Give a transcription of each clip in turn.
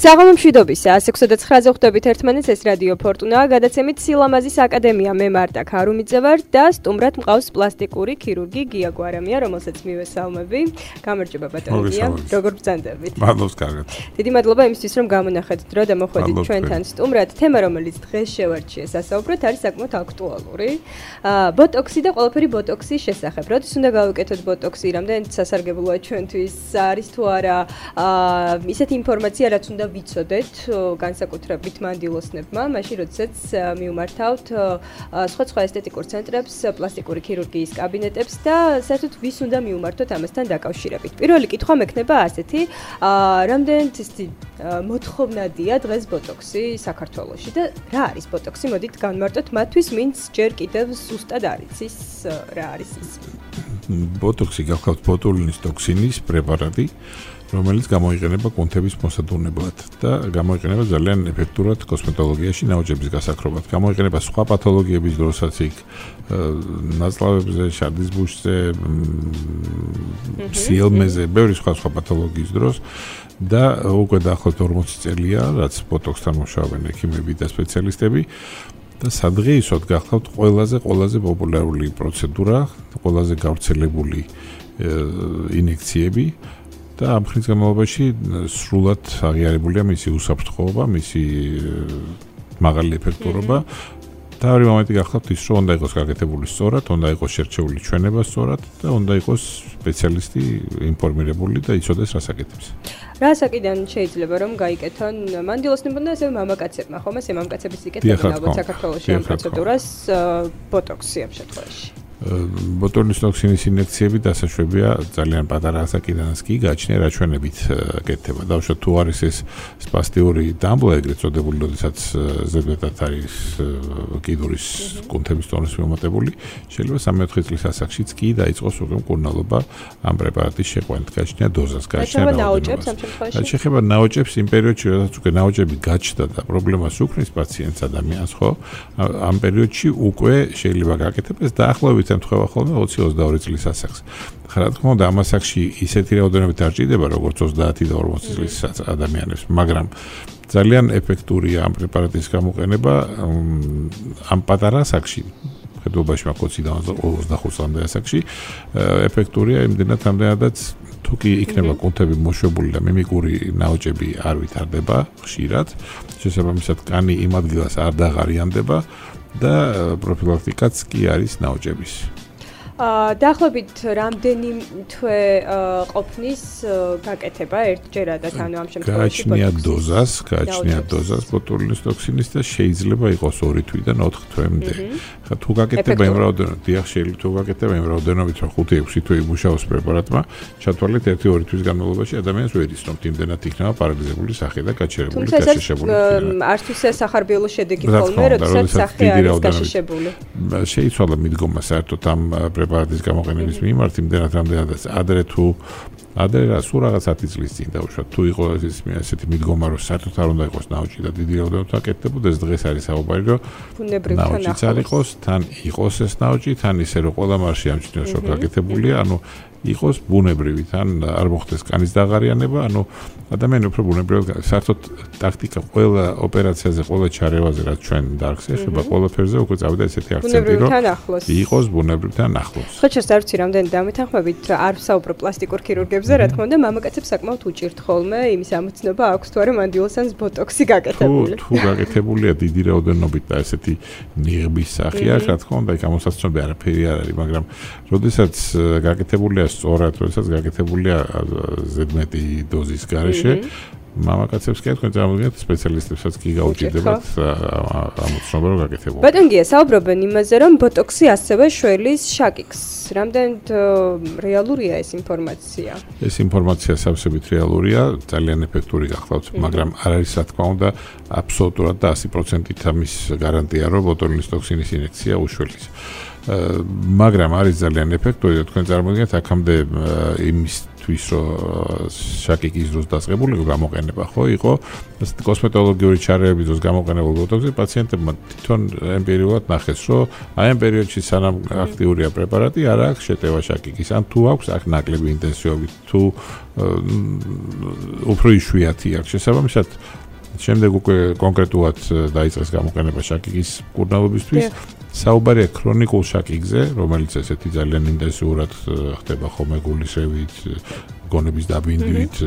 საღამო მშვიდობისა 129-ზე ხვდებით ერთმანეთს ეს რადიო ფორტუნაა გადაცემით სილამაზის აკადემია მე მარტა ქარუმიძე ვარ და სტუმრად მყავს პლასტიკური ქირურგი გია გვარამია რომელსაც მივესალმები გამარჯობა ბატონო გია როგორ ბრძანდებით მადლობს კარგად დიდი მადლობა იმისთვის რომ გამონახეთ დრო და მოხვედით ჩვენთან სტუმრად თემა რომელიც დღეს შევარჩიე სასაუბროთ არის საკმაოდ აქტუალური ბოტოქსი და ყველაფერი ბოტოქსის შესახებ როდის უნდა გავუკეთოთ ბოტოქსი რამდენად სასარგებლოა ჩვენთვის არის თუ არა ისეთი ინფორმაცია რაც უნდა ვიცოდეთ განსაკუთრებით მანდილოსნებმა, მაშინ როდესაც მივმართავთ სხვა ესთეტიკურ ცენტრებს, პლასტიკური ქირურგიის კაბინეტებს და საერთოდ ვის უნდა მივმართოთ ამასთან დაკავშირებით. პირველი კითხვა მექნება ასეთი, რამდენად ისეთი მოთხოვნადია დღეს ბოტოქსი საქართველოში და რა არის ბოტოქსი? მოდით განმარტოთ მათთვის, ვინც ჯერ კიდევ ზუსტად არ იცის რა არის ის. ბოტოქსი გახლავთ ბოტულინის ტოქსინის პრეპარატი რომელიც გამოიყენება კუნთების მოსადუნებლად და გამოიყენება ძალიან ეფექტურად კოსმეტოლოგიაში ნაოჭების გასაქრობად. გამოიყენება სხვა პათოლოგიების დროსაც იქ ნაწლავებზე, შარდის ბუშზე, სიელმეზე, ბევრი სხვა პათოლოგიის დროს და უკვე დაახლოებით 40 წელია, რაც ბოტოქსთან მუშაობენ ექიმები და სპეციალისტები. და სადღეისოდ გახლავთ ყველაზე პოპულარული პროცედურა, ყველაზე გავრცელებული ინექციები და ამ ხნის განმავლობაში სრულად აღიარებულია მისი უსაფრთხოება, მისი მაღალი ეფექტურობა და ორი მომენტი გახლავთ ის, რომ უნდა იყოს გაკეთებული სწორად, უნდა იყოს შერჩეული ჩვენება სწორად და უნდა იყოს სპეციალისტი ინფორმირებული და იცოდეს რას აკეთებს. რა საკიდან შეიძლება რომ გაიკეთონ მანდილოსნებმა და ასევე მამაკაცებმა, ხომ ეს მამაკაცების იკეთებენ ალბათ საქართველოში ამ პროცედურას ბოტოქსი ამ შემთხვევაში. ბოტულინის ტოქსინის ინექციები დასაშვებია ძალიან პატარა ასაკიდანაც კი გააჩნია რა ჩვენებით კეთდება. დავუშვათ თუ არის ეს სპასტიური დამბლა ეგრეთ წოდებული, როდესაც ზედმეტად არის კიდურის კუნთების ტონუსი მომატებული, შეიძლება 3-4 წლის ასაკშიც კი დაიწყოს უკვე მკურნალობა ამ პრეპარატის შეყვანით. გააჩნია დოზას, გააჩნია რაოდენობას. შეეხება ნაოჭებს იმ პერიოდში, როდესაც უკვე ნაოჭები გაჩნდა და პრობლემას უქმნის პაციენტს ადამიანს, ხო? ამ პერიოდში უკვე შეიძლება გაკეთებდეს დაახლოებით ემთხვევა ხოლმე 20-22 წლის ასაკს. რა თქმა უნდა, ამ ასაკში ისეთი რაოდენობით არ ჭირდება, როგორც 30 და 40 წლის ადამიანებს, მაგრამ ძალიან ეფექტურია ამ პრეპარატის გამოყენება ამ პატარა ასაკში. ხედობაში მაგ 20-25 წლამდე ასაკში ეფექტურია იმდენად, რამდენადაც თუ კი იქნება კუნთები მოშვებული და მიმიკური ნაოჭები არ ვითარდება ხშირად, შესაბამისად კანი იმ ადგილას არ დაღარიანდება და პროფილაქტიკაც კი არის ნაოჭების. დაახლოებით რამდენი თვე ყოფნის გაკეთება ერთჯერადად ანუ ამ შემთხვევაში გააჩნია დოზას ბოტულინის ტოქსინის და შეიძლება იყოს 2 თვიდან 4 თვემდე. ხა თუ გაკეთება იმ რაოდენობით, დიახ შეიძლება თუ გაკეთება იმ რაოდენობით, რომ 5-6 თვე იმუშაოს პრეპარატმა, ჩათვალეთ 1-2 თვის განმავლობაში ადამიანს ვერ იცნობთ იმდენად იქნება პარალიზებული სახე და გაჩერებული, გაშიშებული. არც ისე სახარბიელო შედეგი ხოლმე, როდესაც სახე არის გაშიშებული. შეიცვალა მიდგომა საერთოდ ამ პრეპარატის გამოყენების მიმართ იმდენად რამდენადაც ადრე სულ რაღაც 10 წლის წინ დავუშვათ თუ იყო ესეთი მიდგომა რომ საერთოდ არ უნდა იყოს ნაოჭი და დიდი რაოდენობით აკეთდებოდეს დღეს არის საუბარი რომ ნაოჭიც არ იყოს თან იყოს ეს ნაოჭი თან ისე რომ ყველა მარში ამჩნევს რომ გაკეთებულია ანუ იყოს ბუნებრივი თან არ მოხდეს კანის დაღარიანება ანუ ადამიანი უფრო ბუნებრივად საერთოდ ტაქტიკა ყველა ოპერაციაზე ყველა ჩარევაზე რაც ჩვენ დარგს ეხება ყველაფერზე უკვე წავიდა ესეთი აქცენტი რომ იყოს ბუნებრივთან ახლოს. ხო ჩას არ ვიცი რამდენი დამეთანხმებით არ ვსაუბრობ პლასტიკურ ქირურგებზე რა თქმა უნდა მამაკაცებს საკმაოდ უჭირთ ხოლმე იმის ამოცნობა აქვს თუ არა მანდილოსანს ბოტოქსი გაკეთებული. თუ გაკეთებულია დიდი რაოდენობით და ესეთი ნიღბის სახე აქვს რა თქმა უნდა იქ ამოსაცნობი არაფერი არ არის მაგრამ როდესაც გაკეთებულია სწორად როდესაც გაკეთებულია ზედმეტი დოზის გარეშე მამაკაცებს კი თქვენ წარმოგიდგენთ სპეციალისტებსაც კი გაუჭირდებათ ამოცნობა რომ გაკეთებულიყო. ბატონ გია საუბრობენ იმაზე რომ ბოტოქსი ასევე შველის შაკიკს. რამდენად რეალურია ეს ინფორმაცია? ეს ინფორმაცია სავსებით რეალურია, ძალიან ეფექტური გახლავთ, მაგრამ არ არის რა თქმა უნდა აბსოლუტურად და 100%-ით ამის გარანტია რომ ბოტულინის ტოქსინის ინექცია უშველის. მაგრამ არის ძალიან ეფექტური და თქვენ წარმოგიდგენთ აქამდე იმის იმისთვის რომ შაკიკის დროს დაწყებული გამოყენება ხო იყო ასეთი კოსმეტოლოგიური ჩარეების დროს გამოყენებულ ბოტოქსი პაციენტებმა თვითონ ემპირიულად ნახეს რომ აი ამ პერიოდში სანამ აქტიურია პრეპარატი არ აქვს შეტევა შაკიკის ან თუ აქვს აქ ნაკლები ინტენსივობით თუ უფრო იშვიათი აქვს შესაბამისად შემდეგ უკვე კონკრეტულად დაიწყეს გამოყენება შაკიკის მკურნალობისთვის საუბარია ქრონიკულ შაკიკზე რომელიც ესეთი ძალიან ინტენსიურად ხდება ხოლმე გულისრევით გონების დაბინდვით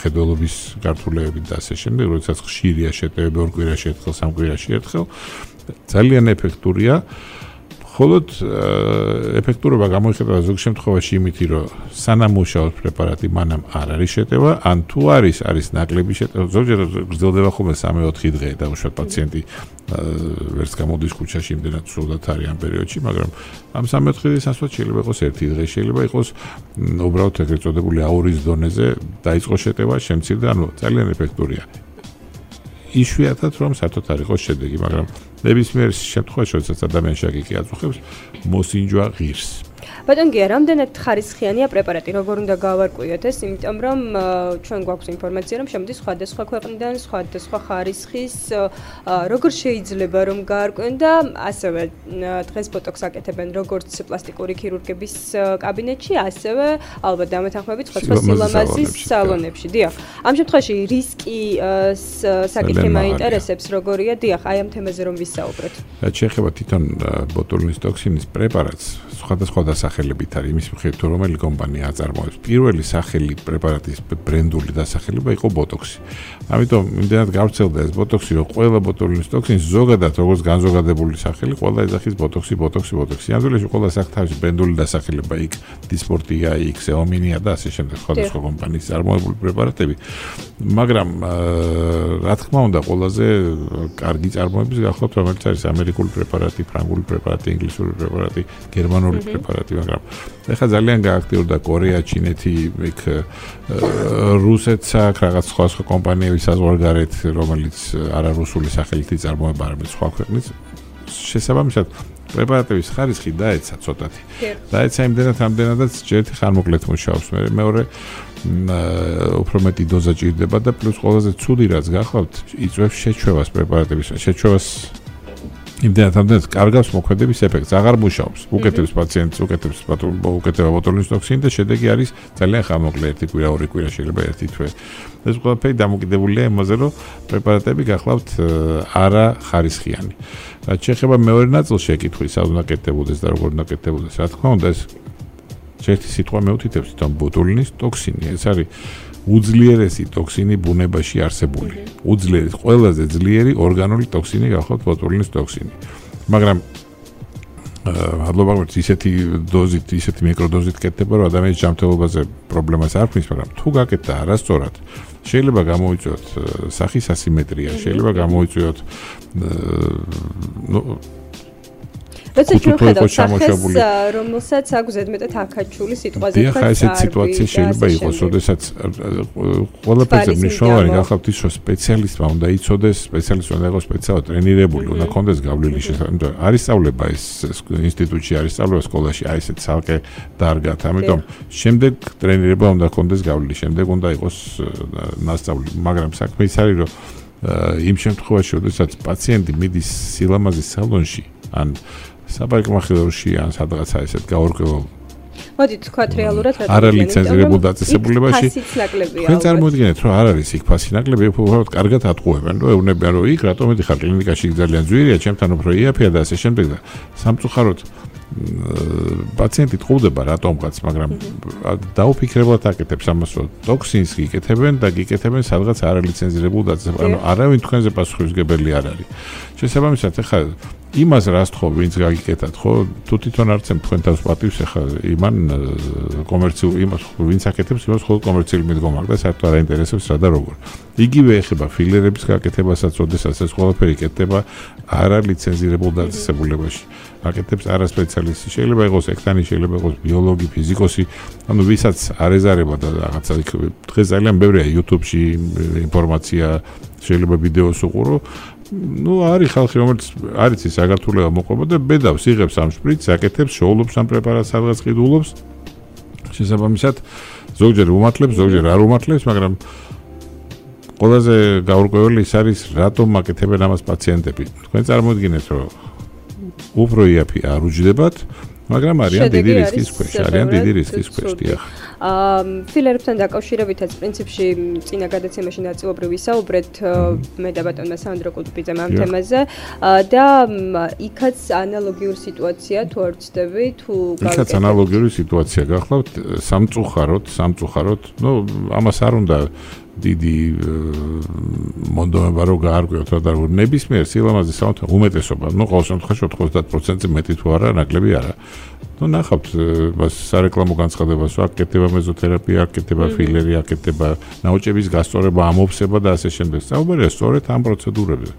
ხედველობის გართულებით და ასე შემდეგ როდესაც ხშირია შეტევები ორ კვირაში ერთხელ სამ კვირაში ერთხელ ძალიან ეფექტურია ხოლოდ ეფექტურობა გამოიხატება ზოგ შემთხვევაში იმით, რომ სანამ მუშაობს პრეპარატი, მანამ არ არის შეტევა, ან თუ არის ნაკლები შეტევა, ზოგჯერ გრძელდება ხოლმე 3-4 დღე და უშუალოდ პაციენტი ვერც გამოდის ქუჩაში იმდენად სრულად არის ამ პერიოდში, მაგრამ ამ 3-4 დღის ასვლა შეიძლება იყოს 1 დღე, შეიძლება იყოს უბრალოდ ეგრეთ წოდებული აურის დონეზე დაიწყო შეტევა, შემცირდა, ანუ ძალიან ეფექტურია. იშვიათად რომ საერთოდ არ იყოს შედეგი, მაგრამ ნებისმიერ შემთხვევაში, როდესაც ადამიანს შაკიკი აწუხებს, მოსინჯვა ღირს. ბატონ გია, რამდენად ხარისხიანია პრეპარატი, როგორ უნდა გავარკვიოთ ეს, იმიტომ რომ ჩვენ გვაქვს ინფორმაცია, რომ შემოდის სხვადასხვა ქვეყნიდან, სხვადასხვა ხარისხის, როგორ შეიძლება რომ გაარკვიონ და ასევე დღეს ბოტოქს აკეთებენ როგორც პლასტიკური ქირურგების კაბინეტში, ასევე ალბათ დამეთანხმებით სხვა სილამაზის სალონებში. დიახ. ამ შემთხვევაში რისკი საკითხი მაინტერესებს, როგორია, დიახ, აი ამ თემაზე რომ ვისაუბროთ. რაც შეეხება თვითონ ბოტულინის ტოქსინის პრეპარატს, სხვადასხვა დასახელებით არის იმის მიხედვით, თუ რომელი კომპანია აწარმოებს. პირველი სახელი პრეპარატის ბრენდული დასახელება იყო ბოტოქსი. ამიტომ იმდენად გავრცელდა ეს ბოტოქსი, რომ ყველა ბოტულინის ტოქსინს ზოგადად როგორც განზოგადებული სახელი, ყველა ეძახის ბოტოქსი. სინამდვილეში ყველა აქვს თავისი ბრენდული დასახელება, იქ დისპორტია, იქ xiaomi-ია და ასე შემდეგ, სხვადასხვა კომპანიის წარმოებული პრეპარატები. მაგრამ რა თქმა უნდა, ყველაზე კარგი წარმოების გახლავთ, რომელიც არის ამერიკული პრეპარატი, ფრანგული პრეპარატი, ინგლისური პრეპარატი, გერმანული პრეპარატი, მაგრამ ეხლა ძალიან გააქტიურდა კორეა, ჩინეთი, იქ რუსეთს აქვს რაღაც სხვა კომპანიების საზღვარგარეთ, რომელიც არარუსული სახელით იწარმოება არამედ სხვა ქვეყნის. შესაბამისად, პრეპარატების ხარისხი დაეცა ცოტათი. დაეცა იმდენად, რამდენადაც ჯერტი ხანმოკლედ მუშაობს. მეორე უფრო მეტი დოზა ჭირდება და პლუს ყველაზე ცუდი რაც გახლავთ, იწვევს შეჩვევას პრეპარატების, შეჩვევას იმდენად კარგავს მოქმედების ეფექტს, აღარ მუშაობს. უკეთებს პაციენტს, უკეთება ბოტულინის ტოქსინი და შედეგი არის ძალიან ხანმოკლე, 1 კვირა, 2 კვირა, შეიძლება 1 თვე. ეს ყველაფერი დამოკიდებულია იმაზე, რომ პრეპარატები გახლავთ არა ხარისხიანი. რაც შეეხება მეორე ნაწილში ეკითხვის, სად უნდა კეთდებოდეს და როგორ უნდა კეთდებოდეს. რა თქმა უნდა, ეს ერთი სიტყვა მეუთითებს თვითონ ბოტულინის ტოქსინი. ეს არის უძლიერესი ტოქსინი ბუნებაში არსებული. უძლიერესი, ყველაზე ძლიერი ორგანული ტოქსინი გახლავთ ბოტულინის ტოქსინი. მაგრამ მადლობა ისეთი დოზით, ისეთი მიკროდოზით კეთდება, რომ ადამიანის ჯანმრთელობაზე პრობლემას არ ქმნის, მაგრამ თუ გაკეთდა არასწორად, შეიძლება გამოიწვიოთ სახის ასიმეტრია, შეიძლება გამოიწვიოთ როცა ჩვენ ხედავთ სახეს, რომელსაც აქვს ზედმეტად აკაჩული სიტყვაზე თქვა. დიახ, ესეთი სიტუაცია შეიძლება იყოს, როდესაც ყველაფერზე მნიშვნელოვანი გახლავთ ის, რომ სპეციალისტმა უნდა იცოდეს, სპეციალისტი უნდა იყოს სპეციალურად ტრენირებული, უნდა კონდეს გავლილი შესაძლებელი. არის სწავლება ეს ინსტიტუტში, არის სწავლება სკოლაში, აი ესეთ ცალკე დარგად. ამიტომ შემდეგ ტრენირება უნდა კონდეს გავლილი, შემდეგ უნდა იყოს მასწავლებელი, მაგრამ საქმე ის არის, რომ იმ შემთხვევაში, როდესაც პაციენტი მიდის სილამაზის სალონში, ან საპარიკმახილერში ან სადღაცა ესეთ გაურკვეველ მოდით თქვათ რეალურად არა ლიცენზირებულ დაწესებულებაში თქვენ წარმოიდგინეთ რომ არ არის იქ ფასი ნაკლები უბრალოდ კარგად ატყუებენ რომ ეუბნებიან რომ იქ რატომ ედიხარ კლინიკაში ძალიან ძვირია ჩემთან უფრო იაფია და ასე შემდეგ და სამწუხაროდ პაციენტი ტყუდება რატომღაც მაგრამ დაუფიქრებლად აკეთებს ამას რომ ტოქსინს გიკეთებენ და გიკეთებენ სადღაც არა ლიცენზირებულ დაწესებულებაში ანუ არავინ თქვენზე პასუხისმგებელი არ არის შესაბამისად ახლა იმას რას თქო ვინც გაგიკეთათ ხო თუ თვითონ არცემ თქვენ თავს პატივს ახლა იმან კომერციულ იმას ვინც აკეთებს იმას ხოლმე კომერციული მიდგომა აქვს და საერთოდ არ აინტერესებს რა და როგორ იგივე ეხება ფილერების გაკეთებასაც ოდესაც ეს ყველაფერი იკეთება არა ლიცენზირებულ დაწესებულებაში აკეთებს არა სპეციალისტი შეიძლება იყოს ექთანი შეიძლება იყოს ბიოლოგი ფიზიკოსი ანუ ვისაც არ ეზარება და რაღაცა დღეს ძალიან ბევრია YouTube-ში ინფორმაცია შეიძლება ვიდეოს უყურო ну არის ხალხი რომელიც არის ის აგართულება მოყვება და ბედავს იღებს ამ შპრიცს აკეთებს შოულობს ამ პრეპარატს სადღაც ყიდულობს შესაბამისად ზოგჯერ უმართლებს, ზოგჯერ არ უმართლებს, მაგრამ ყველაზე გაურკვეველი ის არის, რატომ აკეთებენ ამას პაციენტები. თქვენ წარმოიდგინეთ, რომ უფრო იაფი არ უჯდებათ, მაგრამ არიან დიდი რისკის ქვეშ, დიახ. ფილერებთან დაკავშირებითაც პრინციპში წინა გადაცემაში ნაწილობრივ ვისაუბრეთ მე და ბატონმა სანდრო კუტუპიძემ ამ თემაზე და იქაც ანალოგიური სიტუაცია თუ არ ვცდები თუ იქაც ანალოგიური სიტუაცია გახლავთ სამწუხაროდ ნუ ამას არ უნდა დიდი მონდომება რო გაარკვიოთ რა და ნებისმიერ სილამაზე საერთოდ უმეტესობა ნუ ყოველ შემთხვევაში 90%-ზე მეტი თუ არა ნაკლები არა ნუ ნახავთ მას სარეკლამო განცხადებას აქ კეთდება მეზოთერაპია აქ კეთდება ფილერი აქ კეთდება ნაოჭების გასწორება ამოფსება და ასე შემდეგ საუბარია სწორედ ამ პროცედურებზე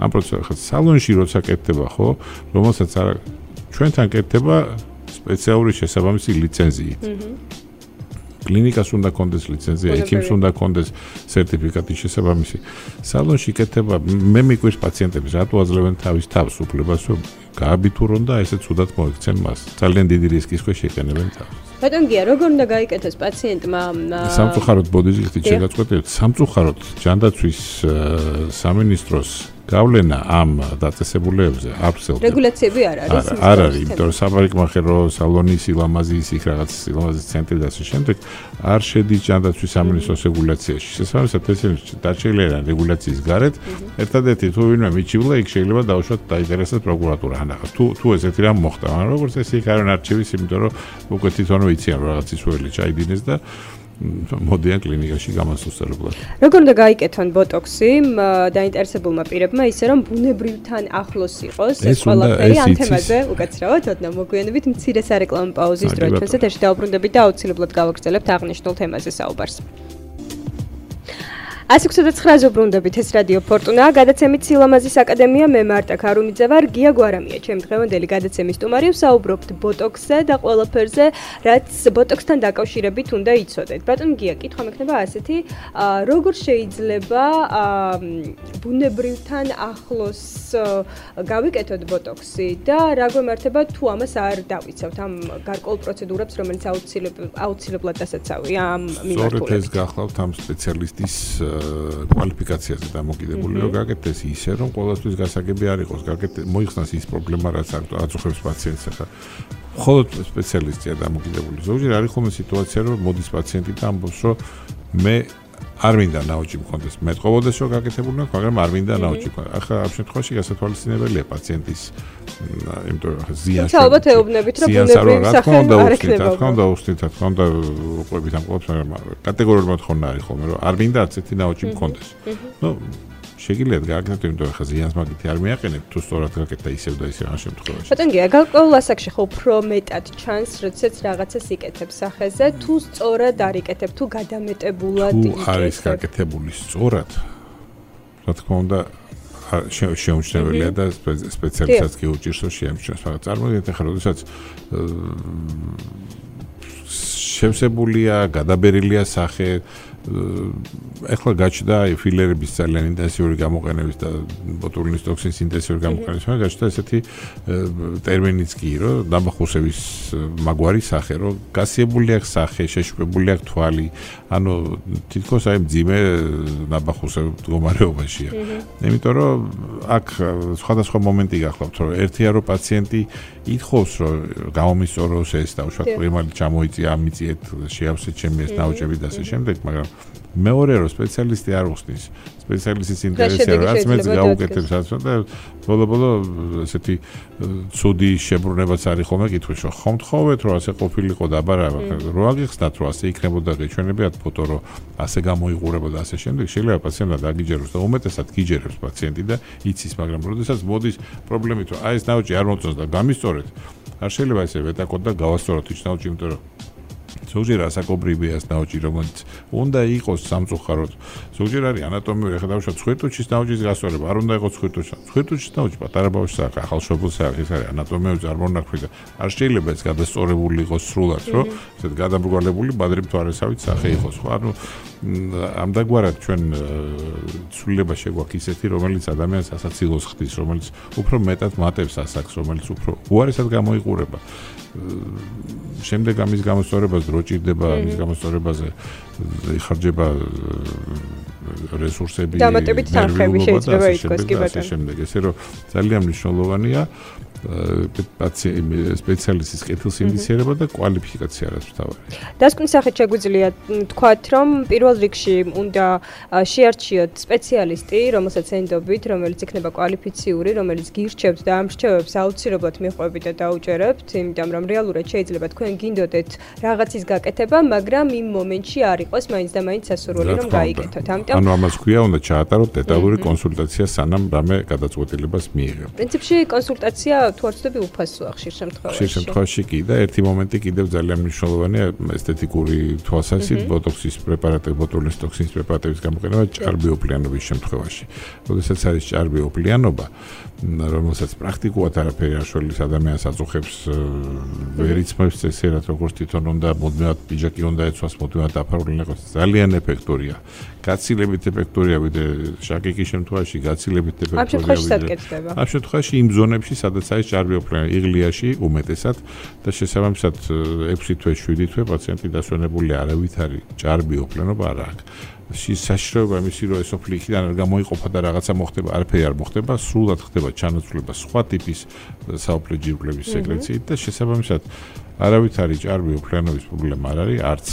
ამ პროცედურებზე სალონში როცა კეთდება ხო რომელსაც არა ჩვენთან კეთდება სპეციალური შესაბამისი ლიცენზიით კლინიკას უნდა კონდეს ლიცენზია, ექიმს უნდა კონდეს სერტიფიკატი შესაბამისი. სალონში კეთება მე მიკვირს პაციენტებს, რატო აძლევენ თავის თავს უფლებას, რომ გააბიტურონ და ესე ცუდად მოიქცენ მას. ძალიან დიდი რისკის ქვეშ იყენებენ თავს. ბატონ გია, როგორ უნდა გაიკეთოს პაციენტმა? სამწუხაროდ ბოდიშით შეგაწყვეტეთ, სამწუხაროდ ჯანდაცვის სამინისტროს გავლენა ამ დაწესებულებებზე აბსოლუტურად რეგულაციები არ არის. არ არის, იმიტომ რომ საპარიკმახერო სალონი სილამაზის იქ რაღაც სილამაზის ცენტრი და ასე შემდეგ არ შედის ჯანდაცვის სამინისტროს რეგულაციაში. შესაბამისად ეს დარჩენილია რეგულაციის გარეთ. ერთადერთი თუ ვინმე მიჩივლა იქ შეიძლება დაუშვათ დაინტერესოს პროკურატურა. ანახა თუ ესეთი რამ მოხდა, მაგრამ როგორც ეს იქ არ არჩევის, იმიტომ რომ უკვე თვითონ ვიციან რაღაც ისველი ჩაიდინეს და მოდიან კლინიკაში გამოსუსწრებლად. როგორ უნდა გაიკეთონ ბოტოქსი დაინტერესებულმა პირებმა ისე რომ ბუნებრივთან ახლოს იყოს ეს ყველაფერი ამ თემაზე უკაცრავად ოდნავ მოგვიანებით მცირე სარეკლამო პაუზის დროს ჩვენს ეთერში დავბრუნდებით და აუცილებლად გავაგრძელებთ აღნიშნულ თემაზე საუბარს. 109 უბრუნდებით ეს რადიო ფორტუნა გადაცემით სილამაზის აკადემია მე მარტა ქარუნიძე ვარ გია გვარამია ჩემი დღევანდელი გადაცემის სტუმარი ვსაუბრობთ ბოტოქსზე და ყველაფერზე რაც ბოტოქსთან დაკავშირებით უნდა იცოდეთ. ბატონ გია კითხვა მექნება ასეთი როგორ შეიძლება ბუნებრივთან ახლოს გავიკეთოთ ბოტოქსი და რა გვემართება თუ ამას არ დავიცავთ ამ გარკვეულ პროცედურებს რომელიც აუცილებლად დასაცავია ამ მიმართულებით. სწორედ ეს გახლავთ ამ სპეციალისტის კვალიფიკაციაზე დამოკიდებული რომ გაკეთდეს ისე რომ ყოველთვის გასაგები არ იყოს მოიხსნას ის პრობლემა რაც აწუხებს პაციენტს ახლა მხოლოდ სპეციალისტია დამოკიდებული ზოგჯერ არის ხოლმე სიტუაცია რომ მოდის პაციენტი და ამბობს რომ მე არ მინდა ნაოჭი მქონდეს მეტყობოდეს რომ გაკეთებული მაქვს მაგრამ არ მინდა ნაოჭი ახლა ამ შემთხვევაში გასათვალისწინებელია პაციენტის იმიტომ რომ ზიანს ალბათ ეუბნებით რომ ბუნებრივი სახე არ ექნება რა თქმა უნდა უყვებით ამ ყოველს მაგრამ კატეგორიული მოთხოვნა არის ხოლმე რომ არ მინდა ასეთი ნაოჭი მქონდეს ნუ შეგიძლიათ გააკეთოთ იმიტომ რომ ხა ზიანს მაგითი არ მიაყენებთ თუ სწორად გაკეთდა ისევ და ისევ ამ შემთხვევაში ბატონ გია გარკვეულ ასაკში ხო უფრო მეტად ჩანს როდესაც რაღაცას იკეთებს სახეზე თუ სწორად არ იკეთებ თუ გადამეტებულად იკეთებ თუ არის გაკეთებული სწორად რა თქმა უნდა შეუმჩნეველია და სპეციალისტად კი უჭირს რომ შეამჩნევს მაგრამ წარმოიდგინეთ ახლა როდესაც შევსებულია გადაბერილია სახე ეხლა გაჩნდა ფილერების ძალიან ინტენსიური გამოყენების და ბოტულინის ტოქსინის ინტენსიური გამოყენების მაგრამ გაჩნდა ესეთი ტერმინიც კი რომ ნაბახუსების მაგვარი სახე რომ გასიებული აქვს სახე შეშუპებული აქვს თვალი ანუ თითქოს აი მძიმე ნაბახუსებ მდგომარეობაშია იმიტომ რომ აქ სხვადასხვა მომენტი გახლავთ რომ ერთია რომ პაციენტი ითხოვს რომ გამომისწოროს ეს და უშუალოდ პრიმალი ჩამოიწია ამიწიეთ შეავსეთ ჩემი ეს ნაოჭები და ასე შემდეგ მაგრამ მეორე რომ სპეციალისტი არ უხსნის სპეციალისტის ინტერესია რაც მეც გაუკეთებს რაც და ბოლო ესეთი ცუდი შებრუნებაც არის ხოლმე კითხვის რომ ხომ თხოვეთ რომ ასე ყოფილიყო და აბა რა აგიხსნათ რომ ასე იქნებოდა გეჩვენებიათ ფოტო რომ ასე გამოიყურებოდა ასე შემდეგ შეიძლება პაციენტმა დაგიჯეროს და უმეტესად გიჯერებს პაციენტი და იცის მაგრამ როდესაც მოდის პრობლემით რომ აი ეს ნაოჭი არ მოწონს და გამისწორეთ არ შეიძლება ესე ვეტაკოთ და გავასწოროთ ის ნაოჭი იმიტომ რომ ზოგჯერ ასაკობრივია ეს ნაოჭი რომელიც უნდა იყოს სამწუხაროდ ზოგჯერ არის ანატომიური ახლა დავუშვათ ხვირტუჩის ნაოჭის გასწორება არ უნდა იყოს ხვირტუჩის ნაოჭი პატარა ბავშვს აქვს ახალშობილს აქვს ეს არის ანატომიური წარმონაქმნი და არ შეიძლება ეს გადასწორებული იყოს სრულად რომ ესეთ გადამრგვალებული ბადრი მთვარესავით სახე იყოს ხო ანუ ამდაგვარად ჩვენ ცვლილება შეგვაქვს ისეთი, რომელიც ადამიანს ასაცილოს ხდის, რომელიც უფრო მეტად მატებს ასაკს, რომელიც უფრო უარესად გამოიყურება. შემდეგ ამის გამოსწორებას დრო ჭირდება, ამის გამოსწორებაზე იხარჯება რესურსები, დამატებით თანხები შეიძლება ითქვას კი ბატონო. შემდეგ ესე რომ ძალიან მნიშვნელოვანია სპეციალისტის კეთილსინდისიერება და კვალიფიკაცია რაც მთავარი. დასკვნის სახით შეგვიძლია თქვათ, რომ პირველ რიგში უნდა შეარჩიოთ სპეციალისტი, რომელსაც ენდობით, რომელიც იქნება კვალიფიციური, რომელიც გირჩევთ და ამ რჩევებს აუცილებლად მიყვებით და დაუჭერებთ, იმიტომ რომ რეალურად შეიძლება თქვენ გინდოდეთ რაღაცის გაკეთება, მაგრამ იმ მომენტში არ იყოს მაინც და მაინც სასურველი რომ გაიგეთოთ. ამიტომ ანუ ამას ქვია უნდა ჩაატაროთ დეტალური კონსულტაცია სანამ რამე გადაწყვეტილებას მიიღებთ. პრინციპში კონსულტაცია თუ არ ვცდები უფასოა ხშირ შემთხვევაში. ხშირ შემთხვევაში კი და ერთი მომენტი კიდევ ძალიან მნიშვნელოვანია ესთეტიკური თვალსაზრისით ბოტოქსის პრეპარატები, ბოტულინის ტოქსინის პრეპარატების გამოყენება ჭარბიოპლიანობის შემთხვევაში. როდესაც არის ჭარბიოპლიანობა, რომელსაც პრაქტიკულად არაფერი არ შველის ადამიანს აწუხებს, ვერ იცმევს წესიერად როგორც თვითონ უნდა, მუდმივად პიჯაკი უნდა ეცვას, მუდმივად დაფარული იყოს, ძალიან ეფექტურია. გაცილებით ეფექტურია ვიდრე შაკიკის შემთხვევაში, გაცილებით ეფექტურია. ამ შემთხვევაში სად კეთდება? ამ შემთხვევაში იმ ზონებში, სადაც არის ჭარბიოპლიანობა, იღლიაში უმეტესად და შესაბამისად 6 თვე, 7 თვე პაციენტი დასვენებული არავითარი ჭარბიოპლიანობა არ აქვს. საშიშროება იმისი რომ ეს ოფლი იქიდან გამოიყოფა და რაღაცა მოხდება, არაფერი არ მოხდება, სრულად ხდება ჩანაცვლება სხვა ტიპის საოფლე ჯირკვლების სეკრეციით და შესაბამისად არავითარი ჭარბიოპლიანობის პრობლემა არ არის, არც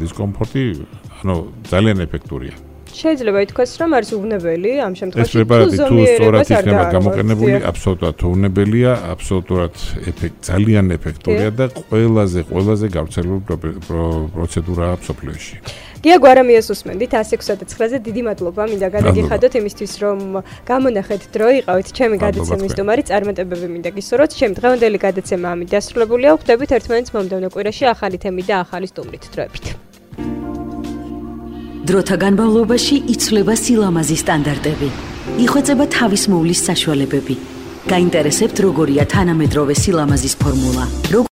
დისკომფორტი, ანუ ძალიან ეფექტურია. შეიძლება ითქვას, რომ არის უვნებელი ამ შემთხვევაში. ეს პრეპარატი თუ სწორად იქნება გამოყენებული, აბსოლუტურად უვნებელია, აბსოლუტურად ძალიან ეფექტურია და ყველაზე გავრცელებული პროცედურაა სოფლიოში. გია გვარამიას უსმენდით 106-ზე დიდი მადლობა მინდა გადაგიხადოთ იმისთვის რომ გამონახეთ დრო იყავით ჩემი გადაცემის სტუმარი წარმატებები მინდა გისურვოთ ჩემი დღევანდელი გადაცემა ამით დასრულებულია ვხვდებით ერთმანეთს მომდევნო კვირაში ახალი თემით და ახალი სტუმრით დროებით დროთა განმავლობაში იცვლება სილამაზის სტანდარტები იხვეწება თავის მოვლის საშუალებები გაინტერესებთ როგორია თანამედროვე სილამაზის ფორმულა